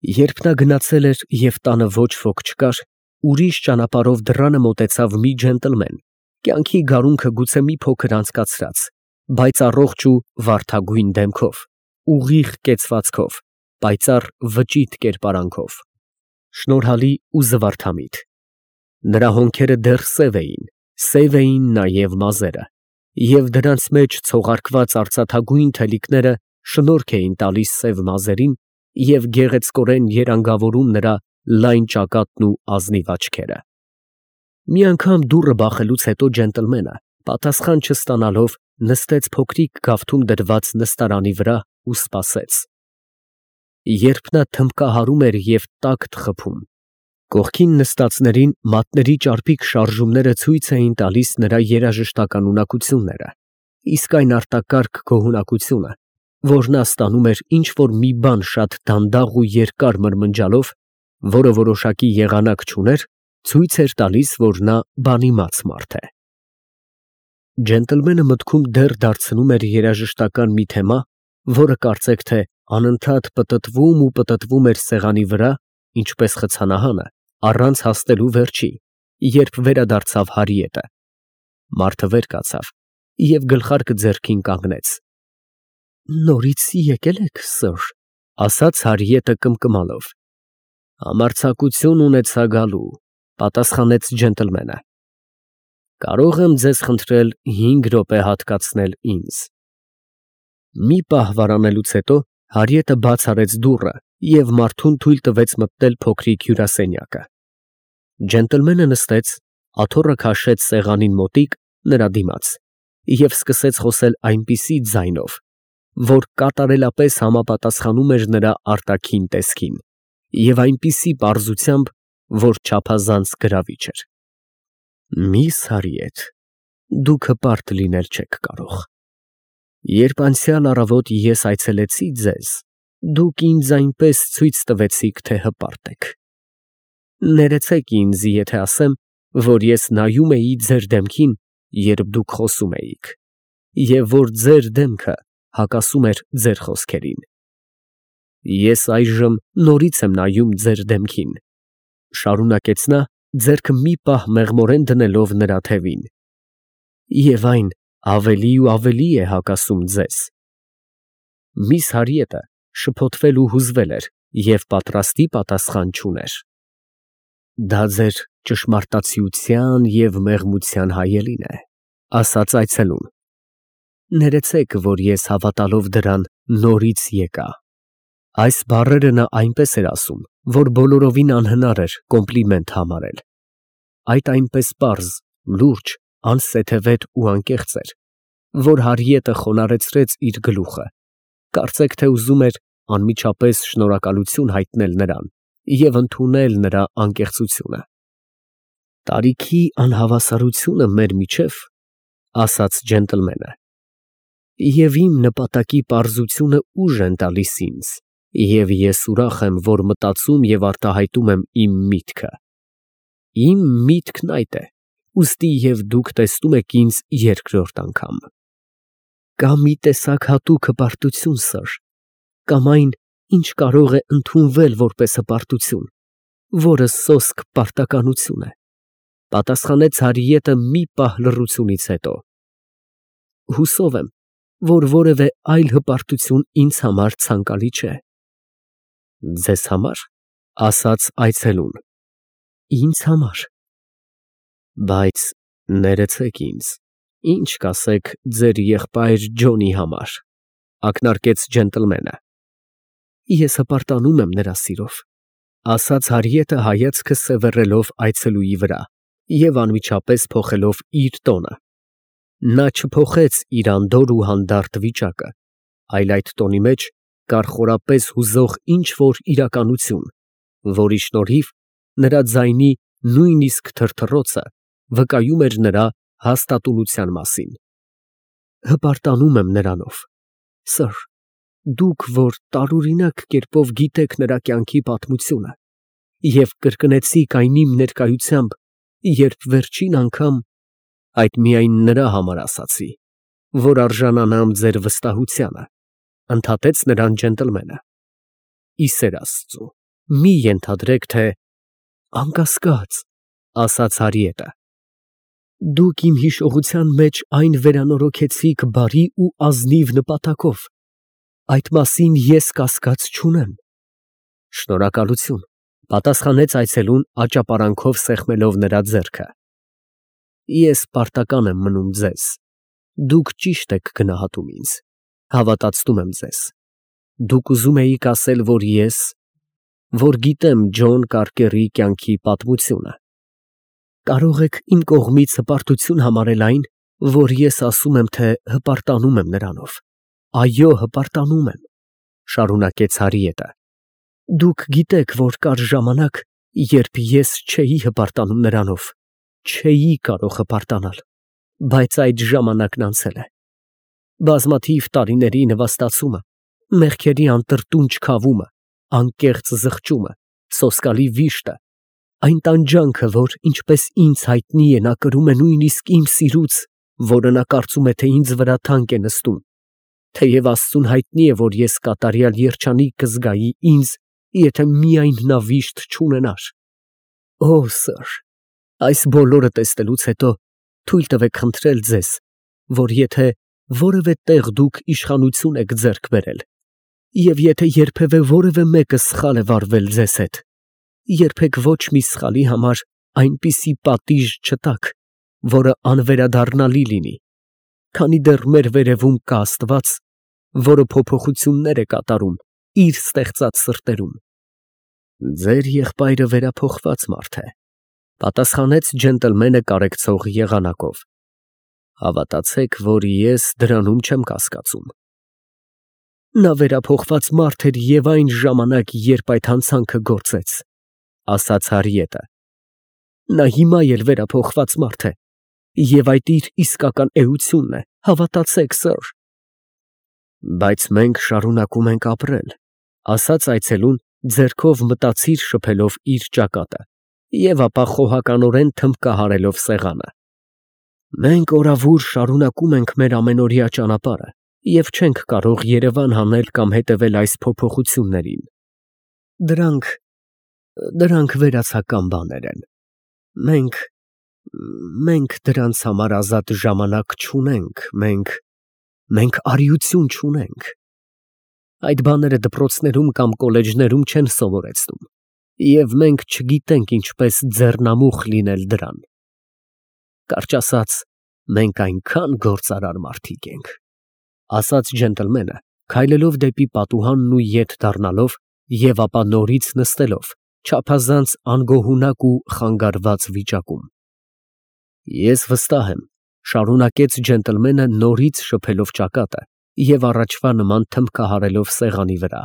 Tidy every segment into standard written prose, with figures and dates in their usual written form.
Երբ նա գնացել էր և տանը ոչ ոք չկար, ուրիշ ճանապարհով դռանը մոտեցավ մի ջենտլմեն, կյանքի գարունքը գուցե մի փոքր անցկացրած, բայց առողջ ու վարդագույն դեմքով, ուղիղ կեցվածքով, պայծառ վճիտ կերպարանքով, շնորհալի ու զվարթամիտ. նրա հոնքերը դեռ սև էին նաև մազերը, և դրանց մեջ ցողարկված արծաթագույն թելիկները շնորհք էին տալիս սև մազերին և գեղեցկորեն երանգավորում նրա լայն ճակատն ու ազնիվ աչքերը։ Մի անգամ դուռը բախելուց հետո ջենտլմենը, պատասխան չստանալով, նստեց փոքրիկ գավթում դրված նստարանի վրա ու սպասեց։ Երբ նա թմբկահարում էր և տակտ խփում, կողքին նստածներին մատների ճարպիկ շարժումները ցույց էին տալիս նրա երաժշտական ունակությունները, իսկ այն արտակարգ գոհունակությունը, որ նա ստանում էր ինչ֊որ մի բան շատ դանդաղ ու երկար մրմնջալով, որը որոշակի եղանակ չուներ, ցույց էր տալիս, որ նա բանիմաց մարդ է։ Ջենտլմենը մտքում դեռ դարձնում էր երաժշտական մի թեմա, որը կարծեք թե անընդհատ պտտվում էր սեղանի վրա, ինչպես խցանահանը, առանց հասնելու վերջի, երբ վերադարձավ Հարիետը։ Մարդը վեր կացավ և գլխարկը ձեռքին կանգնեց։ «Նորից եկել եք, սըր», ասաց Հարիետը կմկմալով։ «Համարձակություն ունեցա գալու», պատասխանեց ջենտլմենը։ «Կարո՞ղ եմ ձեզ խնդրել 5 րոպե հատկացնել ինձ»։ Մի պահ վարանելուց հետո Հարիետը բաց արեց դուռը և մարդուն թույլ տվեց մտնել փոքրիկ հյուրասենյակը։ Ջենտլմենը նստեց, աթոռը քաշեց սեղանին մոտիկ, նրա դիմաց, և սկսեց խոսել այնպիսի ձայնով, որ կատարելապես համապատասխանում էր նրա արտաքին տեսքին, և այնպիսի պարզությամբ, որ չափազանց գրավիչ էր։ «Միս Հարիետ, դուք հպարտ լինել չեք կարող։ Երբ անցյալ առավոտ ես այցելեցի ձեզ, դուք ինձ այնպես ցույց տվեցիք, թե հպարտ եք։ Ներեցեք ինձ, եթե ասեմ, որ ես նայում էի ձեր դեմքին, երբ դուք խոսում էիք, և որ ձեր դեմքը հակասում էր ձեր խոսքերին։ Ես այժմ նորից եմ նայում ձեր դեմքին», ֊ շարունակեց նա, ձեռքը մի պահ մեղմորեն դնելով նրա թևին, «և այն ավելի ու ավելի է հակասում ձեզ»։ Միս Հարիետը շփոթվել ու հուզվել էր և պատրաստի պատասխան չուներ։ «Դա ձեր ճշմարտացիության և մեղմության հայելին է», ֊ ասաց այցելուն։ «Ներեցեք, որ ես հավատալով դրան նորից եկա»։ Այս բառերը նա այնպես էր ասում, որ բոլորովին անհնար էր կոմպլիմենտ համարել։ Այդ այնպես պարզ, լուրջ, անսեթևետ ու անկեղծ էր, որ Հարիետը խոնարհեցրեց իր գլուխը, կարծեք թե ուզում էր անմիջապես շնորհակալություն հայտնել նրան և ընդունել նրա անկեղծությունը։ «Տարիքի անհավասարությունը մեր միջև, ֊ ասաց ջենտլմենը, ֊ և իմ նպատակի պարզությունը ուժ են տալիս ինձ, և ես ուրախ եմ, որ մտածում և արտահայտում եմ իմ միտքը։ Իմ միտքն այդ է, ուստի և դուք տեսնում եք ինձ երկրորդ անգամ։ Կա մի տեսակ հատուկ հպարտություն, սըր, կամ այն, ինչ կարող է ընդունվել որպես հպարտություն, որը սոսկ պարտականություն է, ֊ պատասխանեց Հարիետը մի պահ լռությունից հետո։ Հուսով եմ, որ որևէ այլ հպարտություն ինձ համար ցանկալի չէ։ «Ձեզ համար, ֊ ասաց այցելուն, ֊ ինձ համար»։ «Բայց ներեցեք ինձ, ինչ կասեք ձեր եղբայր Ջոնի համար», ֊ ակնարկեց ջենտլմենը։ «Ես հպարտանում եմ նրա սիրով», ֊ ասաց Հարիետը հայացքը սևեռելով այցելուի վրա և անմիջապես փոխելով իր տոնը։ Նա չփոխեց իր անդորր ու հանդարտ վիճակը, այլ այդ տոնի մեջ կար խորապես հուզող ինչ֊որ իրականություն, որի շնորհիվ նրա ձայնի նույնիսկ թրթռոցը վկայում էր նրա հաստատունության մասին։ «Հպարտանում եմ նրանով, սըր, դուք, որ տարօրինակ կերպով գիտեք նրա կյանքի պատմությունը և կրկնեցիք այն իմ ներկայությամբ, երբ վերջին անգամ (այդ միայն նրա համար ասացի, որ արժանանամ ձեր վստահությանը), ֊ ընդհատեց նրան ջենտլմենը։ ֊ Ի սեր Աստծու, Մի ենթադրեք, թե անկասկած, ասաց Հարիետը։ Դուք իմ հիշողության մեջ այն վերանորոգեցիք բարի ու ազնիվ նպատակով։ Այդ մասին ես կասկած չունեմ։ Շնորհակալություն, պատասխանեց այցելուն աճապարանքով սեղմելով նրա ձեռքը։ Ես պարտական եմ մնում ձեզ։ Դուք ճիշտ եք գնահատում ինձ, հավատացնում եմ ձեզ։ Դուք ուզում էիք ասել, որ գիտեմ Ջոն Կարկերի կյանքի պատմությունը։ Կարող եք իմ կողմից հպարտություն համարել այն, որ ես ասում եմ, թե հպարտանում եմ նրանով։ Այո, հպարտանում եմ, շարունակեց Հարիետը։ Դուք գիտեք, որ կար ժամանակ, երբ ես չէի հպարտանում նրանով, չէի կարող հպարտանալ, բայց այդ ժամանակն անցել է։ Բազմաթիվ տարիների նվաստացումը, մեղքերի անտրտունջ քավումը, անկեղծ զղջումը, սոսկալի վիշտը, այն տանջանքը, որ ինչպես ինձ հայտնի է, նա կրում է նույնիսկ իմ սիրուց, որը նա կարծում է, թե ինձ վրա թանկ է նստում, թեև Աստծուն հայտնի է, որ ես կատարյալ երջանիկ կզգայի ինձ, եթե միայն նա վիշտ չունենար։ Օ, սըր, այս բոլորը տեսնելուց հետո թույլ տվեք խնդրել ձեզ, որ եթե որևէ տեղ դուք իշխանություն եք ձեռք բերել, և եթե երբևէ որևէ մեկը սխալ է վարվել ձեզ հետ, երբեք ոչ մի սխալի համար այնպիսի պատիժ չտաք, որը անվերադառնալի լինի, քանի դեռ մեր վերևում կա Աստված, որը փոփոխություններ է կատարում իր ստեղծած սրտերում։ Ձեր եղբայրը վերափոխված մարդ է, պատասխանեց ջենտլմենը կարեկցող եղանակով։ Հավատացեք, որ ես դրանում չեմ կասկածում։ Նա վերափոխված մարդ էր և այն ժամանակ, երբ այդ հանցանքը գործեց, ասաց Հարիետը։ Նա հիմա էլ վերափոխված մարդ է, և այդ իր իսկական էությունն է, հավատացեք, սըր։ Բայց մենք շարունակում ենք ապրել, ասաց այցելուն, ձեռքով մտածիր շփելով իր ճակատը, և ապա խոհականորեն թմբկահարելով սեղանը։ Մենք օրավուր շարունակում ենք մեր ամենօրյա ճանապարհը և չենք կարող Երևան հանել կամ հետևել այս փոփոխություններին։ Դրանք վերացական բաներ են։ Մենք դրանց համար ազատ ժամանակ չունենք, մենք արիություն չունենք։ Այդ բաները դպրոցներում կամ կոլեջներում չեն սովորեցնում, և մենք չգիտենք ինչպես ձեռնամուխ լինել դրան։ Կարճ ասած, մենք այնքան գործարար մարդիկ ենք, ասաց ջենտլմենը, քայլելով դեպի պատուհանն ու ետ դառնալով և ապա նորից նստելով, չափազանց անգոհունակ ու խանգարված վիճակում։ Ես վստահ եմ, շարունակեց ջենտլմենը նորից շփելով ճակատը և առաջվա նման թմբկահարելով սեղանի վրա։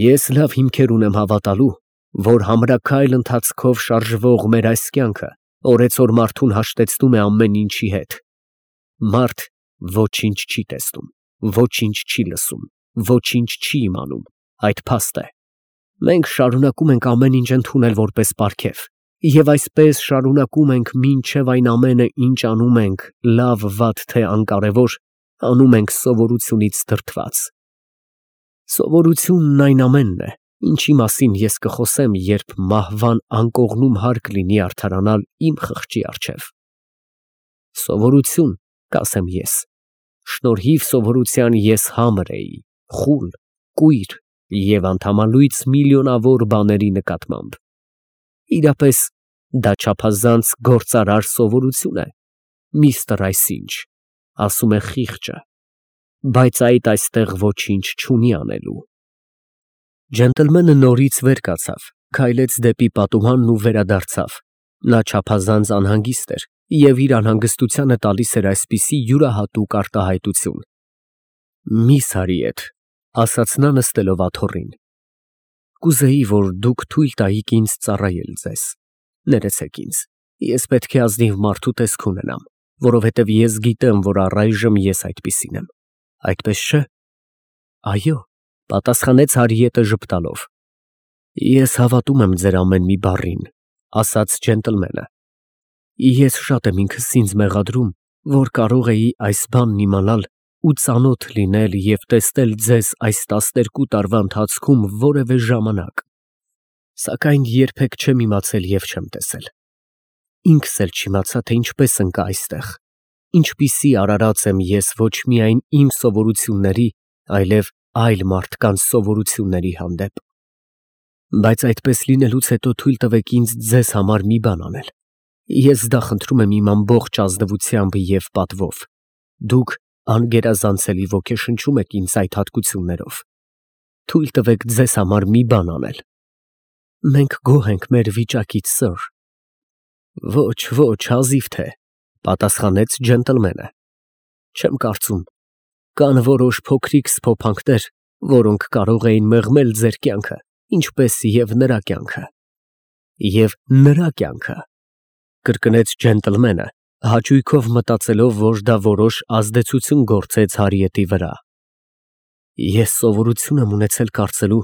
Ես լավ հիմքեր ունեմ հավատալու, որ համրաքայլ ընթացքով շարժվող մեր այս կյանքը օրեցօր մարդուն հաշտեցնում է ամեն ինչի հետ։ Մարդ ոչինչ չի տեսնում, ոչինչ չի լսում, ոչինչ չի իմանում, այդ փաստ է։ Մենք շարունակում ենք ամեն ինչ ընդունել որպես պարգև, և այսպես շարունակում ենք մինչև այն ամենը, ինչ անում ենք, լավ, վատ, թե անկարևոր, անում ենք սովորությունից դրդված։ Սովորությունն այն ամենն է, ինչի մասին ես կխոսեմ, երբ մահվան անկողնում հարկ լինի արդարանալ իմ խղճի առջև։ Սովորություն, կասեմ ես, շնորհիվ սովորության ես համր էի, խուլ, կույր և անդամալույծ միլիոնավոր բաների նկատմամբ։ Իրապես, դա չափազանց գործարար սովորություն է, միստր այսինչ, ասում է խիղճը, բայց այդ այստեղ ոչինչ չունի անելու։ Ջենտլմենը նորից վեր կացավ, քայլեց դեպի պատուհանն ու վերադարձավ։ Նա չափազանց անհանգիստ էր և իր անհանգստությանը տալիս էր այսպիսի յուրահատուկ արտահայտություն։ Միս Հարիեթ, ասաց նա նստելով աթոռին, կուզեի, որ դուք թույլ տայիք ինձ ծառայել ձեզ։ Ներեցեք ինձ, ես պետք է ազնիվ մարդու տեսք ունենամ, որովհետև ես գիտեմ, որ առայժմ ես այդպիսին եմ։ Այդպես չէ՞։ Այո, պատասխանեց Հարիետը ժպտալով։ Ես հավատում եմ ձեր ամեն մի բառին, ասաց ջենտլմենը։ Ես շատ եմ ինքս ինձ մեղադրում, որ կարող էի այս բանն իմանալ ու ծանոթ լինել և տեսնել ձեզ այս 12 տարվա ընթացքում որևէ ժամանակ, սակայն երբեք չեմ իմացել և չեմ տեսել։ Ինքս էլ չիմացա, թե ինչպես ընկա այստեղ, ինչպիսի արարած եմ ես ոչ միայն իմ սովորությունների, այլև այլ մարդկանց սովորությունների հանդեպ։ Բայց այդպես լինելուց հետո թույլ տվեք ինձ ձեզ համար մի բան անել։ Ես դա խնդրում եմ իմ ամբողջ ազնվությամբ և պատվով։ Դուք անգերազանցելի ոգեշնչում եք ինձ այդ հատկություններով։ Թույլ տվեք ձեզ համար մի բան անել։ Մենք գոհ ենք մեր վիճակից, սըր։ Ոչ, ոչ, հազիվ թե, պատասխանեց ջենտլմենը։ Չեմ կարծում։ Կան որոշ փոքրիկ սփոփանքներ, որոնք կարող էին մեղմել ձեր կյանքը, ինչպես և նրա կյանքը։ Եվ նրա կյանքը, կրկնեց ջենտլմենը, հաճույքով մտածելով, որ դա որոշ ազդեցություն գործեց Հարիետի վրա։ Ես սովորություն եմ ունեցել կարծելու,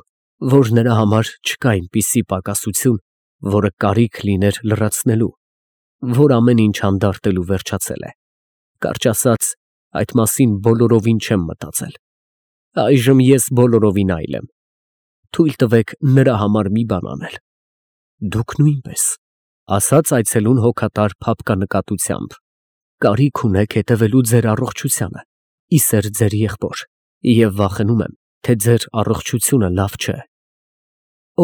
որ նրա համար չկա այնպիսի պակասություն, որը կարիք լիներ լրացնելու, որ ամեն ինչ հանդարտելու վերջացել է։ Կարճ ասած, այդ մասին բոլորովին չեմ մտածել։ Այժմ ես բոլորովին այլ եմ։ Թույլ տվեք նրա համար մի բան անել։ Դուք նույնպես, ասաց այցելուն հոգատար փափկանկատությամբ, կարիք ունեք հետևելու ձեր առողջությանը, իսեր ձեր եղբոր, և վախենում եմ, թե ձեր առողջությունը լավ չէ։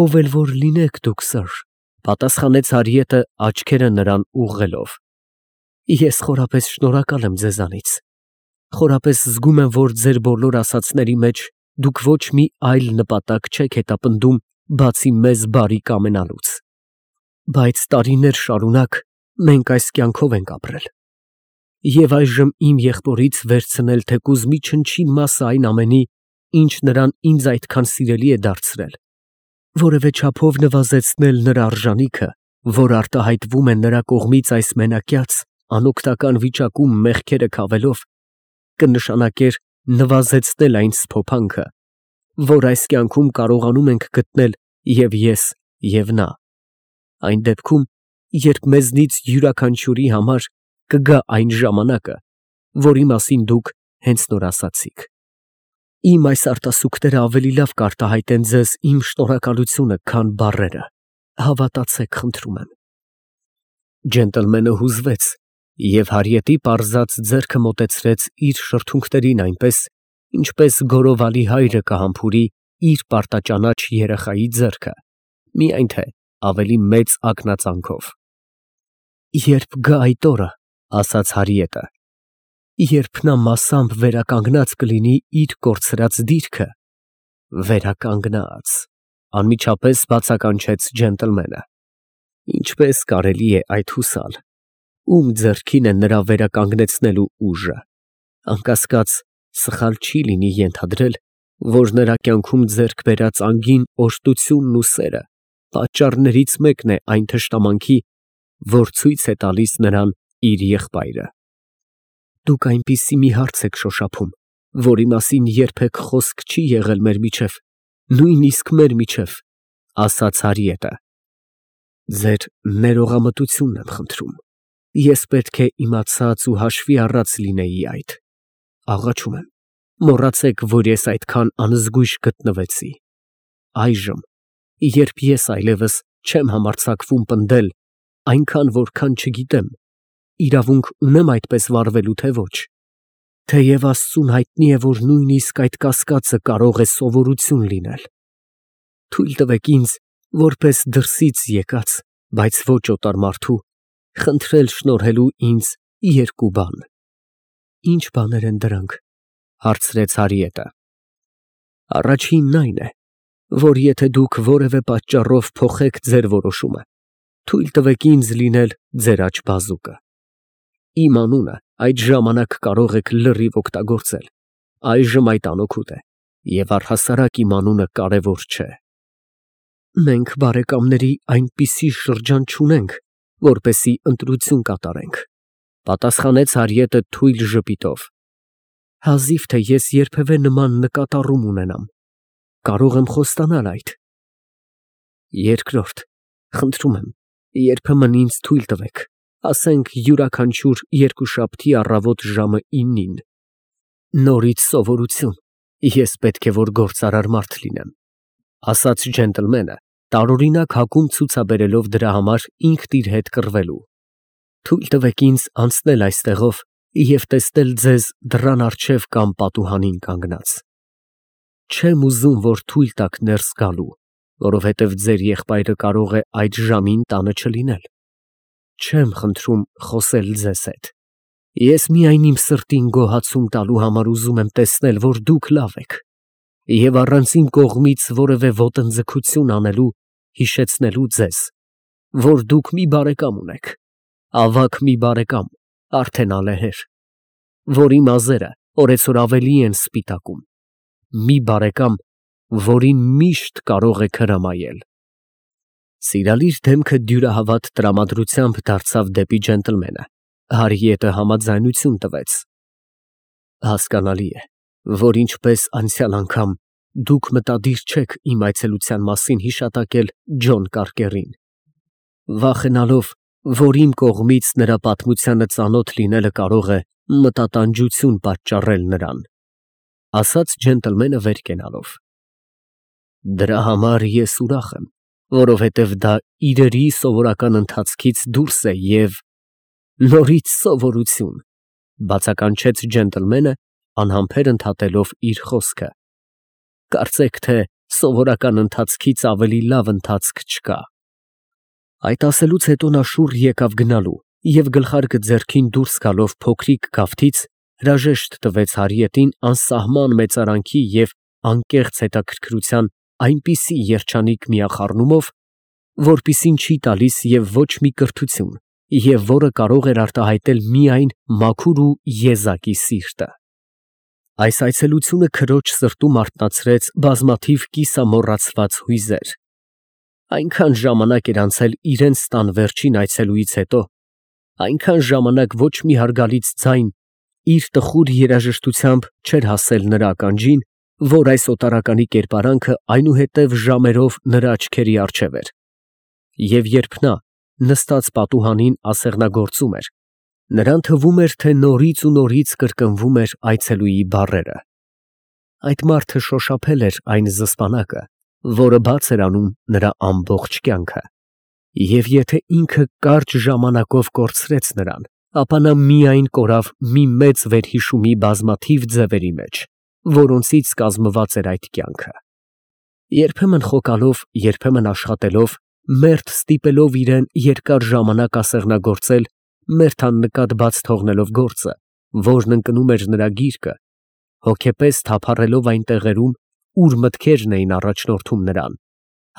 Ով էլ որ լինեք դուք, սըր, պատասխանեց Հարիետը աչքերը նրան ուղղելով։ Ես խորապես շնորհակալ եմ ձեզանից։ Խորապես զգում եմ, որ ձեր բոլոր ասածների մեջ դուք ոչ մի այլ նպատակ չեք հետապնդում, բացի մեզ բարի կամենալուց։ Բայց տարիներ շարունակ մենք այս կյանքով ենք ապրել։ Եվ այժմ իմ եղբորից վերցնել թեկուզ մի չնչին մասը այն ամենի, ինչ նրան ինձ այդքան սիրելի է դարձրել, որևէ չափով նվազեցնել նրա արժանիքը, որ արտահայտվում է նրա կողմից այս մենակյաց, անօգնական վիճակում մեղքերը քավելով, կնշանակեր նվազեցնել այն սփոփանքը, որ այս կյանքում կարողանում ենք գտնել և ես, և նա, այն դեպքում, երբ մեզնից յուրաքանչյուրի համար կգա այն ժամանակը, որի մասին դուք հենց նոր ասացիք։ Իմ այս արտասուքները ավելի լավ կարտահայտեն ձեզ իմ շնորհակալությունը, քան բառերը։ Հավատացեք, խնդրում եմ։ Ջենտլմենը հուզվեց և Հարիետի պարզած ձեռքը մոտեցրեց իր շրթունքներին այնպես, ինչպես գորովալի հայրը կհամբուրի իր պարտաճանաչ երեխայի ձեռքը, միայն թե ավելի մեծ ակնածանքով։ Երբ գա այդ օրը, ասաց Հարիետը, երբ նա մասամբ վերականգնած կլինի իր կորցրած դիրքը, վերականգնած, անմիջապես բացականչեց ջենտլմենը։ Ինչպես կարելի է այդ հուսալ, ում ձեռքին է նրա վերականգնեցնելու ուժը։ Անկասկած, սխալ չի լինի ենթադրել, որ նրա կյանքում ձեռք բերած անգին օրհնությունն ու սերը պատճառներից մեկն է այն թշնամանքի, որ ցույց է տալիս նրան իր եղբայրը։ Դուք այնպիսի մի հարց եք շոշափում, որի մասին երբեք խոսք չի եղել մեր միջև, նույնիսկ մեր միջև, ասաց Հարիետը։ Ձեր ներողամտությունն եմ խնդրում։ Ես պետք է իմացած ու հաշվի առած լինեի այդ։ Աղաչում եմ, մոռացեք, որ ես այդքան անզգույշ գտնվեցի։ Այժմ, երբ ես այլևս չեմ համարձակվում պնդել, այնքան, որքան չգիտեմ, իրավունք ունեմ այդպես վարվելու, թե ոչ։ Թեև Աստծուն հայտնի է, որ նույնիսկ այդ կասկածը կարող է սովորություն լինել։ Թույլ տվեք ինձ, որպես դրսից եկած, բայց ոչ օտար մարդու, խնդրել շնորհելու ինձ երկու բան։ Ինչ բաներ են դրանք, հարցրեց Հարիետը։ Առաջինն այն է, որ եթե դուք որևէ պատճառով փոխեք ձեր որոշումը, թույլ տվեք ինձ լինել ձեր աջ բազուկը։ Իմ անունը այդ ժամանակ կարող եք լրիվ օգտագործել, այժմ այդ անօգուտ է, և առհասարակ իմ անունը կարևոր չէ։ Մենք բարեկամների այնպիսի շրջան չունենք, որպեսզի ընտրություն կատարենք, պատասխանեց Հարիետը թույլ ժպիտով։ Հազիվ թե ես երբևէ նման նկատառում ունենամ, կարող եմ խոստանալ այդ։ Երկրորդ, խնդրում եմ, երբեմն ինձ թույլ տվեք, ասենք յուրաքանչյուր երկուշաբթի առավոտ ժամը 9-ին։ Նորից սովորություն, ես պետք է որ գործարար մարդ լինեմ, ասաց ջենտլմենը, տարօրինակ հակում ցուցաբերելով դրա համար ինքն իր հետ կռվելու։ Թույլ տվեք ինձ անցնել այստեղով և տեսնել ձեզ դռան առջև կամ պատուհանին կանգնած։ Չեմ ուզում, որ թույլ տաք ներս գալու, որովհետև ձեր եղբայրը կարող է այդ ժամին տանը չլինել։ Չեմ խնդրում խոսել ձեզ հետ։ Ես միայն իմ սրտին գոհացում տալու համար ուզում եմ տեսնել, որ դուք լավ եք, և առանց իմ կողմից որևէ ոտնձգություն անելու հիշեցնելու ձեզ, որ դուք մի բարեկամ ունեք, ավագ մի բարեկամ, արդեն ալեհեր, որի մազերը օրեցօր ավելի են սպիտակում, մի բարեկամ, որին միշտ կարող եք հրամայել։ Սիրալիր դեմքը դյուրահավատ տրամադրությամբ դարձավ դեպի ջենտլմենը, Հարիետը համաձայնություն տվեց։ Հասկանալի է, որ ինչպես անցյալ անգամ դուք մտադիր չեք իմ այցելության մասին հիշատակել Ջոն Կարկերին, վախենալով, որ իմ կողմից նրա պատմությանը ծանոթ լինելը կարող է մտատանջություն պատճառել նրան, ասաց ջենտլմենը վեր կենալով։ Դրա համար ես ուրախ եմ, որովհետև դա իրերի սովորական ընթացքից դուրս է և… Նորից սովորություն, բացականչեց ջենտլմենը, անհամբեր ընդհատելով իր խոսքը։ Կարծեք թե սովորական ընթացքից ավելի լավ ընթացք չկա։ Այդ ասելուց հետո նա շուռ եկավ գնալու և գլխարկը ձեռքին դուրս գալով փոքրիկ գավթից հրաժեշտ տվեց Հարիետին անսահման մեծարանքի և անկեղծ հետաքրքրության այնպիսի երջանիկ միախառնումով, որպիսին չի տալիս և ոչ մի կրթություն, և որը կարող էր արտահայտել միայն մաքուր ու եզակի սիրտը։ Այս այցելությունը քրոջ սրտում արթնացրեց բազմաթիվ կիսամոռացված հույզեր։ Այնքան ժամանակ էր անցել իրենց տան վերջին այցելուից հետո, այնքան ժամանակ ոչ մի հարգալից ձայն իր տխուր երաժշտությամբ չէր հասել նրա ականջին, որ այս օտարականի կերպարանքը այնուհետև ժամերով նրա աչքերի առջև էր, և երբ նա, նստած պատուհանին ասեղնագործում էր, նրան թվում էր, թե նորից ու նորից կրկնվում էր այցելուի բառերը։ Այդ մարդը շոշափել էր այն զսպանակը, որը բաց էր անում նրա ամբողջ կյանքը, և եթե ինքը կարճ ժամանակով կորցրեց նրան, ապա նա միայն կորավ մի մեծ վերհիշումի բազմաթիվ ձևերի մեջ, որոնցից կազմված էր այդ կյանքը։ Երբեմն խոկալով, երբեմն աշխատելով, մերթ ստիպելով իրան երկար ժամանակ ասեղնագործել, մերթ աննկատ բաց թողնելով գործը, որն ընկնում էր նրա գիրկը, հոգեպես թափառելով այն տեղերում, ուր մտքերն էին առաջնորդում նրան,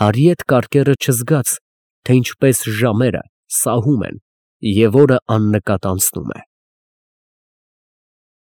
Հարիետ Կարկերը չզգաց, թե ինչպես ժամերը սահում են և օրը աննկատ անցնում է։